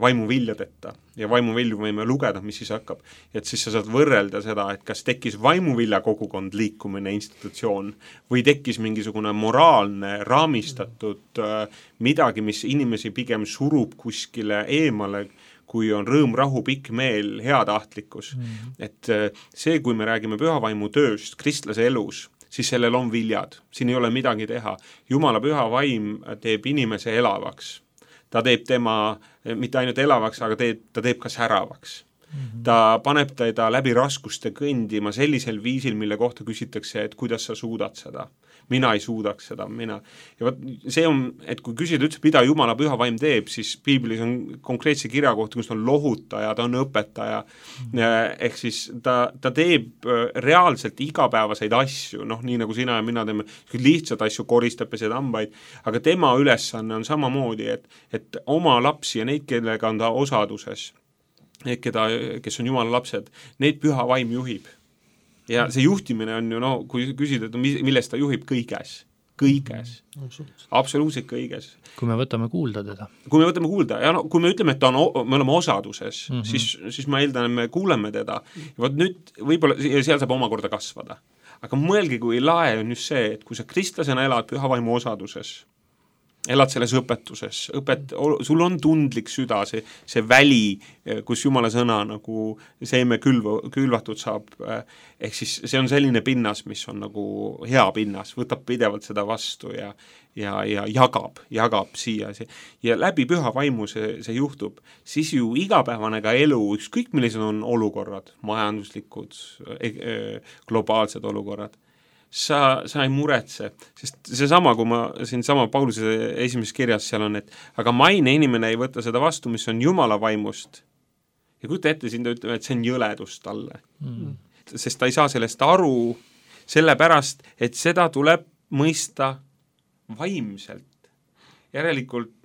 vaimuviljadeta ja vaimuvilju võime lugeda, mis siis hakkab. Et siis sa saad võrrelda seda, et kas tekkis vaimuvilla kogukond liikumine institutsioon või tekkis mingisugune moraalne raamistatud midagi, mis inimesi pigem surub kuskile eemale, kui on rõõm, rahu, pikk meel, heatahtlikkus. Et see, kui me räägime pühavaimu tööst kristlase elus, siis sellel on viljad. Siin ei ole midagi teha. Jumala püha vaim teeb inimese elavaks. Ta teeb tema mitte ainult elavaks, aga ta teeb ka säravaks. Ta paneb teda läbi raskuste kõndima sellisel viisil, mille kohta küsitakse, et kuidas sa suudad seda. Mina ei suudaks seda, Ja võt, see on, et kui küsida üldse, mida Jumala püha vaim teeb, siis piiblis on konkreetse kirja kohta, kus ta on lohutaja, ta on õpetaja, ehk siis ta teeb reaalselt igapäevaseid asju, nii nagu sina ja mina teeme lihtsalt asju, koristab ja seda hambaid, aga tema ülesanne on samamoodi, et oma lapsi ja neid, kellega on ta osaduses, kes on Jumala lapsed, neid püha vaim juhib. Ja see juhtimine on ju, kui küsida, et millest ta juhib kõiges. Absoluutselt kõiges. Kui me võtame kuulda teda. Kui me võtame kuulda, ja kui me ütleme, et me oleme osaduses, siis ma eeldan, et me kuuleme teda. Ja võt nüüd võib-olla seal saab omakorda kasvada. Aga mõelge, kui lae on just see, et kui sa kristlasena elad püha vaimu osaduses, elad selles õpetuses, sul on tundlik süda, see väli, kus Jumala sõna nagu seeme külvatud saab, ehk siis see on selline pinnas, mis on nagu hea pinnas, võtab pidevalt seda vastu ja jagab siia. Ja läbi püha vaimu see juhtub, siis ju igapäevane ka elu, ükskõik millised on olukorrad, majanduslikud, globaalsed olukorrad, sa ei muretse, sest seesama, kui ma siin sama Pauluse esimeses kirjas seal on, et aga maine inimene ei võta seda vastu, mis on Jumala vaimust. Ja kujuta ette, siin ta ütleb, et see on jõledus talle. Sest ta ei saa sellest aru sellepärast, et seda tuleb mõista vaimselt. Järelikult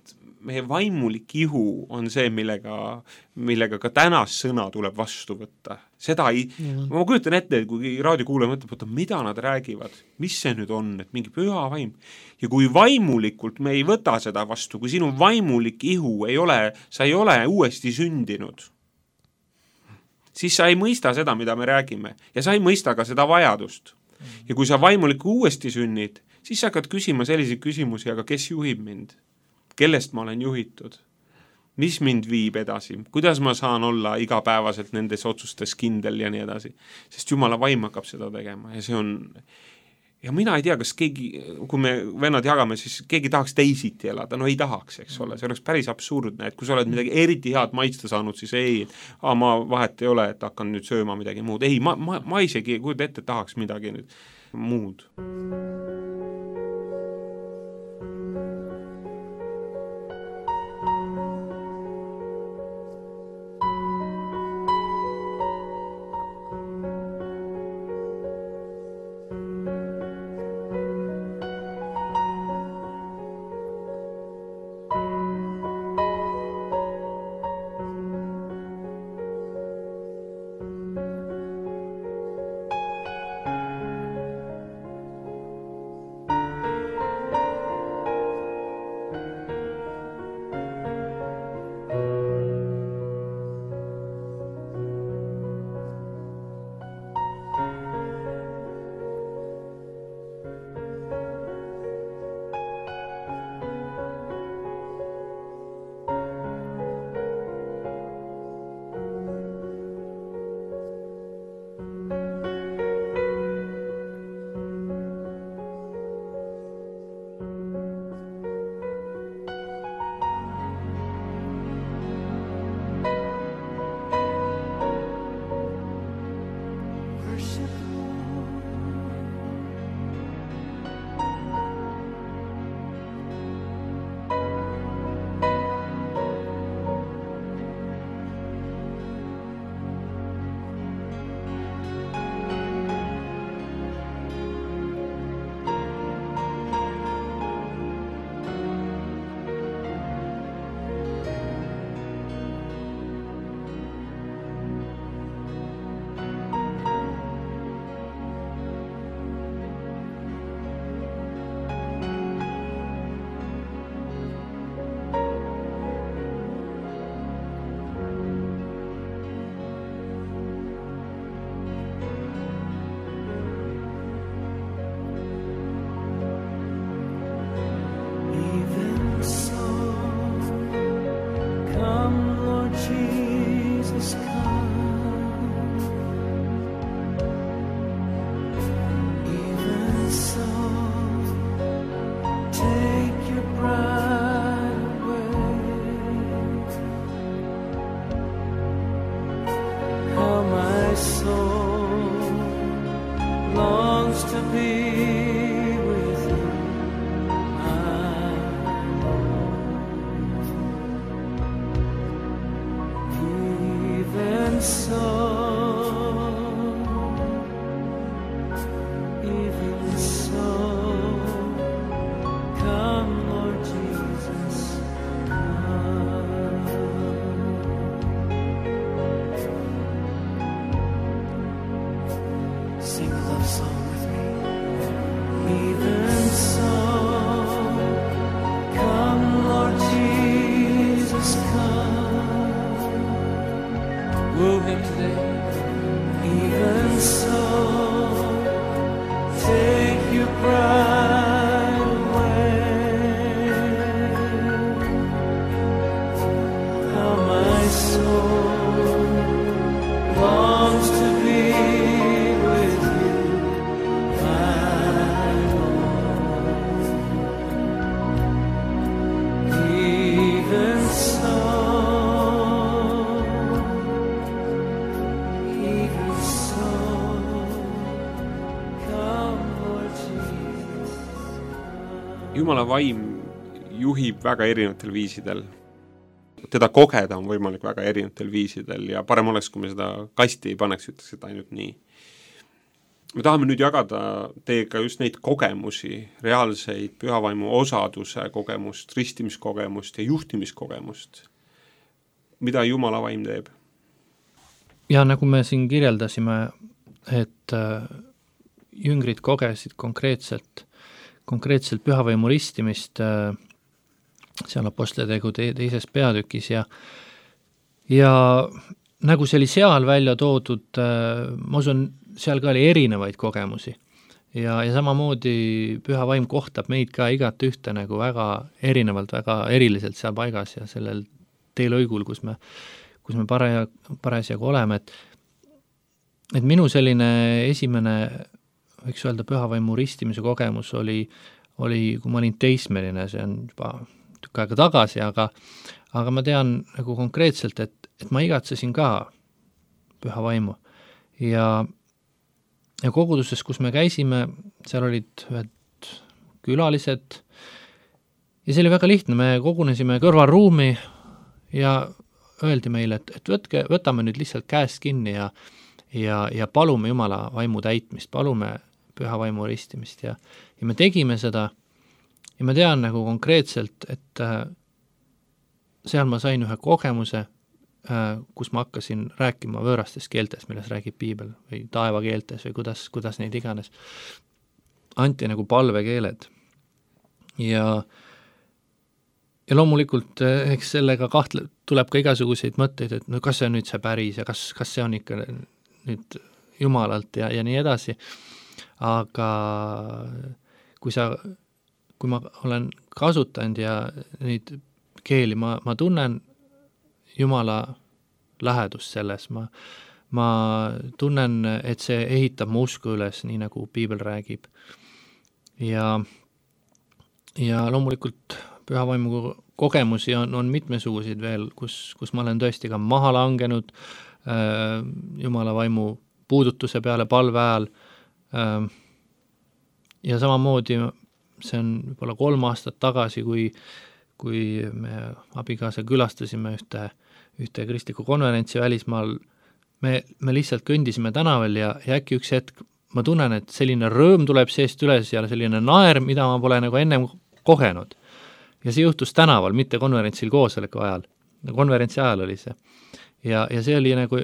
meie vaimulik ihu on see, millega ka tänast sõna tuleb vastu võtta. Seda ma kujutan ette, et kui raadiokuulaja mõtleb, mida nad räägivad, mis see nüüd on, et mingi püha vaim. Ja kui vaimulikult me ei võta seda vastu, kui sinu vaimulik ihu sa ei ole uuesti sündinud, siis sa ei mõista seda, mida me räägime. Ja sa ei mõista ka seda vajadust. Ja kui sa vaimulik uuesti sünnid, siis sa hakkad küsima selliseid küsimusi, aga kes juhib mind? Kellest ma olen juhitud? Mis mind viib edasi? Kuidas ma saan olla igapäevaselt nendes otsustes kindel ja nii edasi? Sest Jumala vaim hakkab seda tegema ja see on... Ja mina ei tea, kas keegi, kui me vennad jagame, siis keegi tahaks teisiti elada. No ei tahaks, eks ole. See oleks päris absurdne, et kui sa oled midagi eriti head maitsta saanud, siis ei, ma vahet ei ole, et hakkan nüüd sööma midagi muud. Ei, ma isegi kujuta ette, tahaks midagi nüüd muud. longs to be with you, my Lord. Even so, come, Lord Jesus, come. Sing a love song with me. Even so, come, Lord Jesus, come. Woo him today. Even so, take your pride away. How my soul longs to be with you, my Lord. Even so, Jumala vaim juhib väga erinevatel viisidel. Teda kogeda on võimalik väga erinevatel viisidel ja parem oleks, kui me seda kasti ei paneks, ütleks seda ainult nii. Me tahame nüüd jagada teiega just neid kogemusi, reaalseid pühavaimu osaduse kogemust, ristimiskogemust ja juhtimiskogemust. Mida Jumala vaim teeb? Ja nagu me siin kirjeldasime, et jüngrid kogesid konkreetselt pühavaimu ristimist seal Apostletegu teises peatükis ja nagu see oli seal välja toodud, ma usun, seal ka oli erinevaid kogemusi ja samamoodi püha vaim kohtab meid ka igat ühte nagu väga erinevalt, väga eriliselt seal paigas ja sellel teelõigul, kus me parasjagu oleme, et minu selline esimene võiks öelda pühavaimu ristimise kogemus oli, kui ma olin teismeline, see on juba tükk aega tagasi, aga ma tean nagu konkreetselt, et ma igatsesin ka pühavaimu ja koguduses, kus me käisime, seal olid ühed külalised ja see oli väga lihtne, me kogunesime kõrvalruumi ja öeldi meile, et võtame nüüd lihtsalt käest kinni ja palume Jumala vaimu täitmist, palume püha vaimu ristimist ja me tegime seda ja ma tean nagu konkreetselt, et seal ma sain ühe kogemuse, kus ma hakkasin rääkima võõrastes keeltes, milles räägib piibel või taevakeeltes või kuidas neid iganes. Anti nagu palvekeeled ja loomulikult eks sellega tuleb ka igasuguseid mõtteid, et no kas see on nüüd see päris ja kas see on ikka nüüd Jumalalt ja nii edasi, aga kui ma olen kasutanud ja neid keeli, ma tunnen Jumala lähedust selles, ma tunnen, et see ehitab mu usku üles, nii nagu piibel räägib. Ja loomulikult pühavaimu kogemusi on mitmesuguseid veel, kus ma olen tõesti ka maha langenud Jumala vaimu puudutuse peale palve ajal ja samamoodi see on võib-olla 3 aastat tagasi, kui me abikaasa külastasime ühte kristlikku konverentsi välismaal, me lihtsalt kõndisime tänaval ja äkki üks hetk ma tunnen, et selline rõõm tuleb seest üles ja selline naer, mida ma pole nagu ennem kogenud. Ja see juhtus tänaval, mitte konverentsil koosoleku ajal. Konverentsi ajal oli see. Ja see oli nagu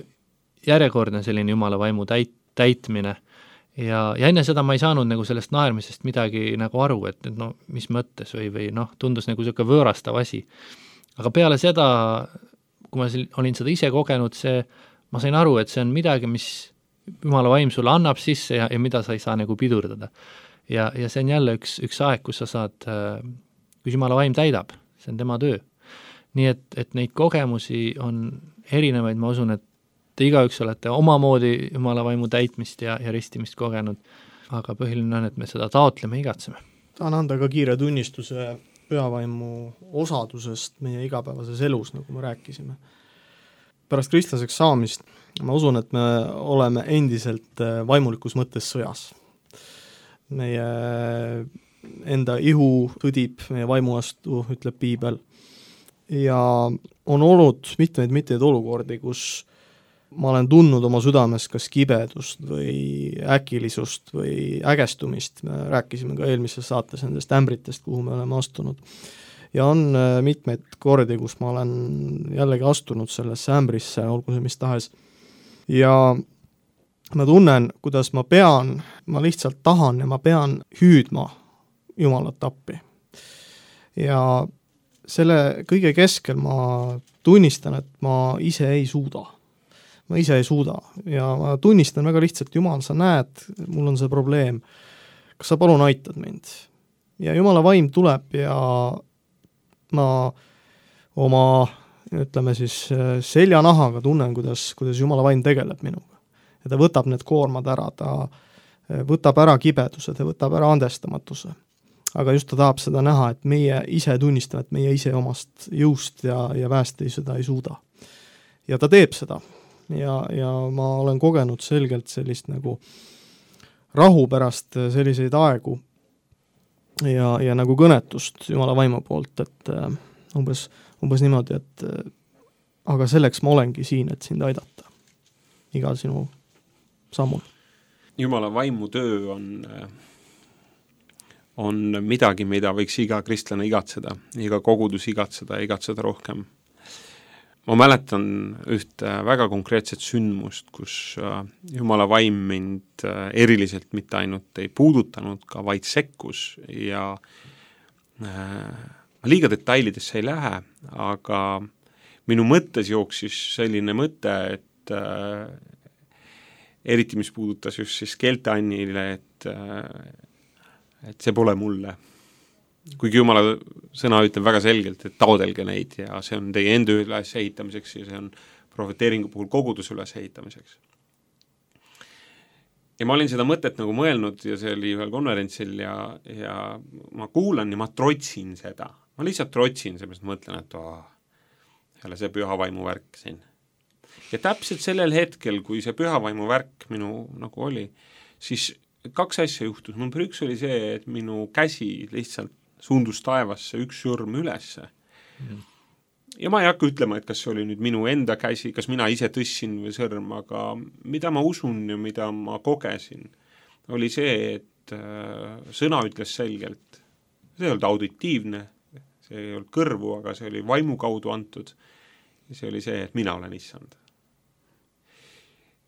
järjekordne selline Jumala vaimu täitmine. Ja enne seda ma ei saanud nagu sellest naermisest midagi nagu aru, et no, mis mõttes või tundus nagu selline võõrastav asi. Aga peale seda, kui ma olin seda ise kogenud, ma sain aru, et see on midagi, mis Jumala vaim sulle annab sisse ja mida sa ei saa nagu pidurdada. Ja see on jälle üks aeg, kus sa saad, kus Jumala vaim täidab, see on tema töö. Nii et neid kogemusi on erinevaid, ma usun, et te igaüks olete omamoodi Jumala vaimu täitmist ja ristimist kogenud, aga põhiline on, et me seda taotleme, igatseme. Tahan anda ka kiire tunnistuse pühavaimu osadusest meie igapäevases elus, nagu me rääkisime. Pärast kristlaseks saamist ma usun, et me oleme endiselt vaimulikus mõttes sõjas. meie enda ihu tõdib meie vaimu vastu, ütleb piibel. Ja on olnud mitmeid olukordi, kus ma olen tundnud oma südames kas kibedust või äkilisust või ägestumist, me rääkisime ka eelmises saates nendest ämbritest, kuhu me oleme astunud. Ja on mitmeid kordi, kus ma olen jällegi astunud sellesse ämbrisse, olgu see mis tahes. Ja ma tunnen, kuidas ma lihtsalt tahan ja ma pean hüüdma Jumalat appi. Ja selle kõige keskel ma tunnistan, et ma ise ei suuda. Ma ise ei suuda ja ma tunnistan väga lihtsalt, Jumal, sa näed, mul on see probleem, kas sa palun aitad mind? Ja Jumala vaim tuleb ja ma oma, ütleme siis, seljanahaga tunnen, kuidas Jumala vaim tegeleb minuga. Ja ta võtab need koormad ära, ta võtab ära kibeduse, ta võtab ära andestamatuse. Aga just ta tahab seda näha, et meie ise tunnistame, et meie ise omast jõust ja väest seda ei suuda. Ja ta teeb seda. Ja ma olen kogenud selgelt sellist nagu rahu pärast selliseid aegu ja nagu kõnetust Jumala vaimu poolt, et umbes niimoodi, et aga selleks ma olengi siin, et sind aidata igal sinu sammul. Jumala vaimu töö on midagi, mida võiks iga kristlane igatseda, iga kogudus igatseda rohkem. Ma mäletan ühte väga konkreetset sündmust, kus Jumala vaim mind eriliselt mitte ainult ei puudutanud, ka vaid sekkus ja ma liiga detailidesse ei lähe, aga minu mõttes jooksis selline mõte, et eriti mis puudutas just siis Kelte Annile, et see pole mulle. Kuigi Jumala sõna ütleb väga selgelt, et taodelge neid ja see on teie enda üles ehitamiseks ja see on prohveteeringu puhul koguduse üles ehitamiseks. Ja ma olin seda mõtet nagu mõelnud ja see oli ühel konverentsil ja ma kuulan ja ma trotsin seda. Ma lihtsalt trotsin, seepärast mõtlen, et jälle see pühavaimu värk siin. Ja täpselt sellel hetkel, kui see pühavaimu värk minu nagu oli, siis 2 asja juhtus. Number 1 oli see, et minu käsi lihtsalt suundus taevasse, 1 sõrm ülesse. Ja ma ei hakka ütlema, et kas see oli nüüd minu enda käsi, kas mina ise tõssin või sõrm, aga mida ma usun ja mida ma kogesin, oli see, et sõna ütles selgelt. See ei olnud auditiivne, see ei olnud kõrvu, aga see oli vaimu kaudu antud. Ja see oli see, et mina olen issand.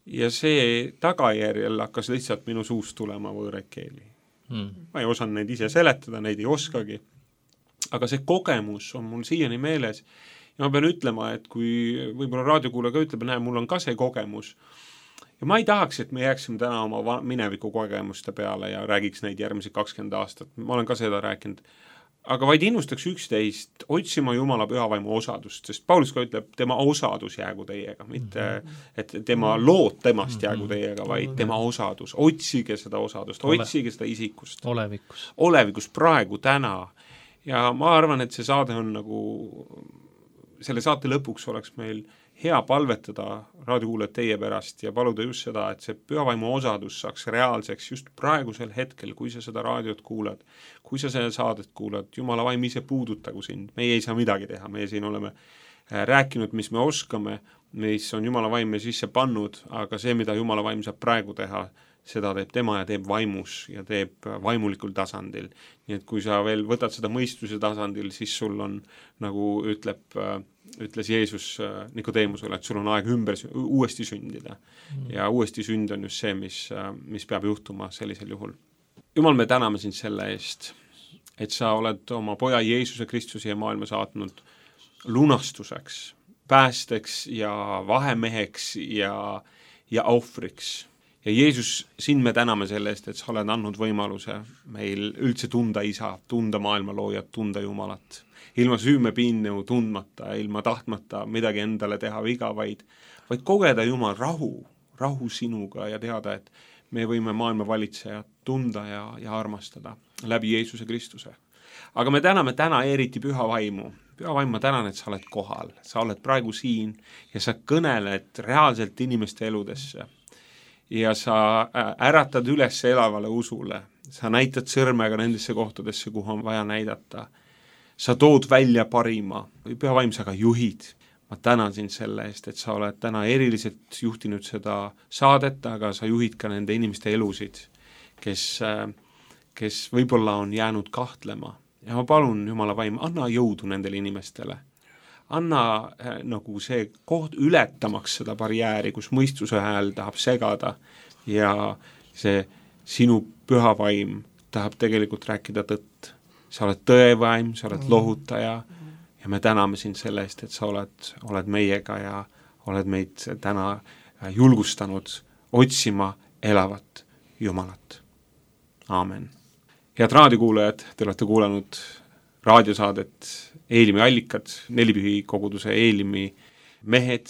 Ja see tagajärjel hakkas lihtsalt minu suust tulema võõraid keeli. Ma ei osanud neid ise seletada, neid ei oskagi. Aga see kogemus on mul siiani meeles ja ma pean ütlema, et kui võib-olla raadiokuulaja ka ütleb, näe, mul on ka see kogemus. Ja ma ei tahaks, et me jääksime täna oma mineviku kogemuste peale ja räägiks neid järgmised 20 aastat. Ma olen ka seda rääkinud. Aga vaid innustaks 11 otsima Jumala pühavaimu osadust, sest Paulus ka ütleb, tema osadus jäägu teiega, mitte et tema lood temast jäägu teiega, vaid tema osadus. Otsige seda osadust, otsige seda isikust. Olevikus praegu, täna. Ja ma arvan, et see saade on nagu, selle saate lõpuks oleks meil hea palvetada raadiokuulajad teie pärast ja paluda just seda, et see pühavaimu osadus saaks reaalseks just praegusel hetkel, kui sa seda raadiot kuulad, kui sa seda saadet kuulad, Jumala vaim ise puudutagu sind, meie ei saa midagi teha, meie siin oleme rääkinud, mis me oskame, mis on Jumala vaim me sisse pannud, aga see, mida Jumala vaim saab praegu teha, seda teeb tema ja teeb vaimus ja teeb vaimulikul tasandil. Nii et kui sa veel võtad seda mõistuse tasandil, siis sul on, nagu ütles Jeesus Nikodeemusele, et sul on aeg uuesti sündida. Ja uuesti sünd on just see, mis peab juhtuma sellisel juhul. Jumal, me täname sind selle eest, et sa oled oma poja Jeesuse Kristuse ja maailma saatnud lunastuseks, päästeks ja vahemeheks ja ohvriks. Ja Jeesus, sind me täname selle eest, et sa oled andnud võimaluse meil üldse tunda isa, tunda maailma loojat, tunda Jumalat. Ilma süümepiinnu tundmata, ilma tahtmata midagi endale teha viga, vaid kogeda Jumal rahu sinuga ja teada, et me võime maailma valitsejat tunda ja armastada läbi Jeesuse Kristuse. Aga me täname täna eriti püha vaimu. Püha vaim, ma tänan, et sa oled kohal, sa oled praegu siin ja sa kõneled reaalselt inimeste eludesse. Ja sa äratad üles elavale usule. sa näitad sõrmega nendesse kohtadesse, kuhu on vaja näidata. Sa tood välja parima, Püha Vaim, sa ka juhid. Ma tänan sind selle eest, et sa oled täna eriliselt juhtinud seda saadet, aga sa juhid ka nende inimeste elusid, kes võib-olla on jäänud kahtlema. Ja ma palun, Jumala Vaim, anna jõudu nendele inimestele. Anna nagu see koht ületamaks seda barjääri, kus mõistuse hääl tahab segada ja see sinu Püha Vaim tahab tegelikult rääkida tõtt. Sa oled tõevaim, sa oled lohutaja ja me täname sind selle eest, et sa oled meiega ja oled meid täna julgustanud otsima elavat Jumalat. Aamen. Head raadiokuulajad, te olete kuulanud raadiosaadet Eelimi allikad, Nelipühi koguduse Eelimi mehed,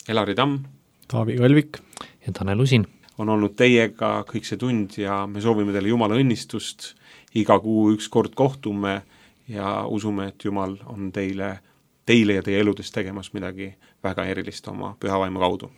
Elari Tamm, Taavi Kalvik ja Tanel Usin. On olnud teiega kõik see tund ja me soovime teile Jumala õnnistust. Iga kuu üks kord kohtume ja usume, et Jumal on teile ja teie eludes tegemas midagi väga erilist oma Püha Vaimu kaudu.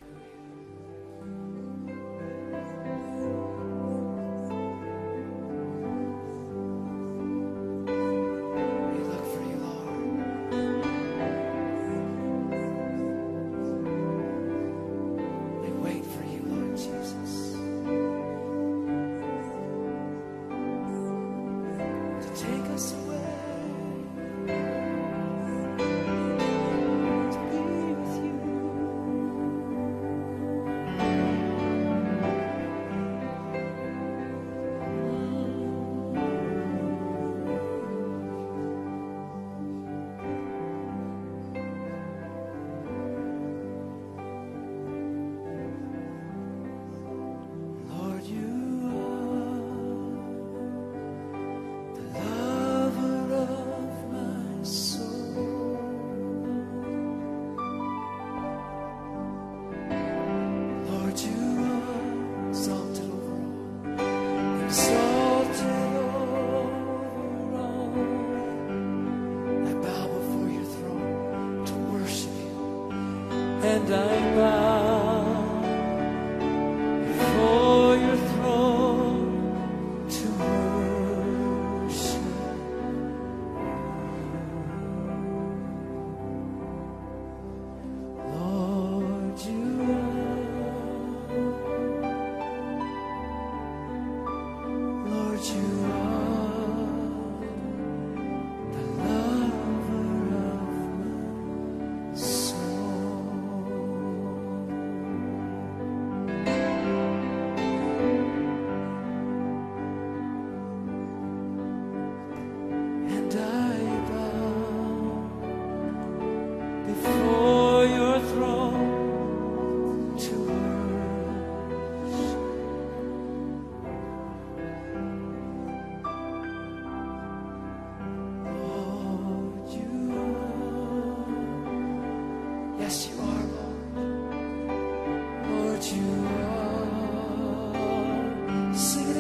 And I bow before your throne to worship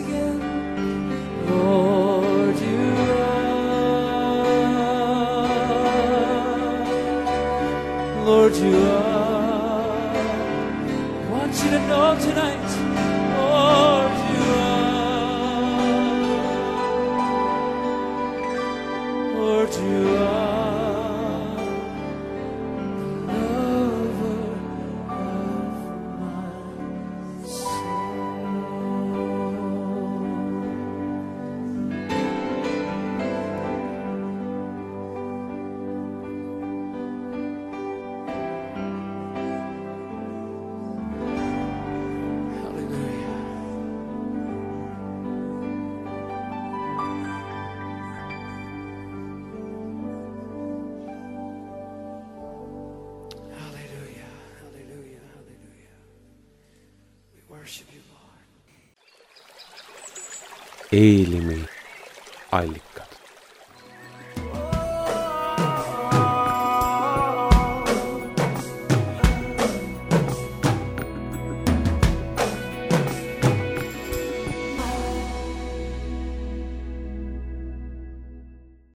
you. Lord, you Lord, you are. I want you to know tonight, Lord, you are. Lord, you are the lover of my soul. Eelimi allikad.